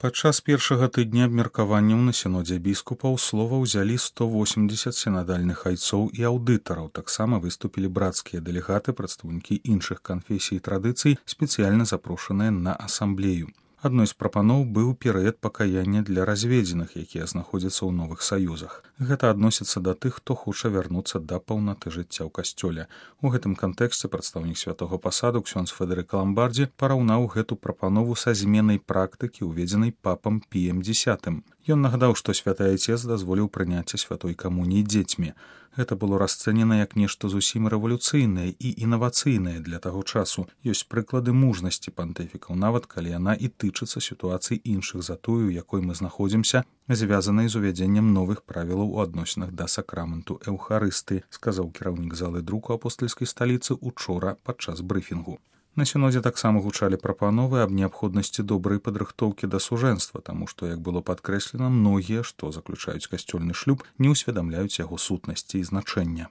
Падчас першага тыдня абмеркаванняў на сінодзе біскупаў слова ўзялі 180 сінадальных айцоў і аўдытараў. Таксама выступілі брацкія дэлегаты, прадстаўнікі іншых канфесій і традыцый, спецыяльна запрошаныя на асамблею. Адной з прапаноў быў перыяд пакаяння для разведзеных, якія знаходзяцца ў новых саюзах. Гэта адносіцца да тых, хто хоча вярнуцца да паўнаты жыцця ў касцёле. У гэтым кантэксце прадстаўнік святога пасаду ксёндз Федэрыка Ламбардзі параўнаў гэту прапанову са зменай практыкі, уведзенай папам Піем X. Ён нагадаў, што святы айцец дазволіў прыняцце святой камуніі дзецьмі. Гэта было расцэнена як нешта зусім рэвалюцыйнае і інавацыйнае для таго часу. Ёсць прыклады мужнасці пантыфікаў, нават калі яна і тычыцца сітуацый іншых за тую, у якой мы знаходзімся, звязанай з увядзеннем новых правілаў у адносінах да сакраменту Эўхарысты, сказаў кіраўнік залы друку апостальскай сталіцы учора падчас брыфінгу. На сінодзе таксама гучалі прапановы аб неабходнасці добрай падрыхтоўкі да сужэнства, таму што, як было падкрэслена, многія, што заключаюць касцёльны шлюб, не ўсведамляюць яго сутнасці і значэння.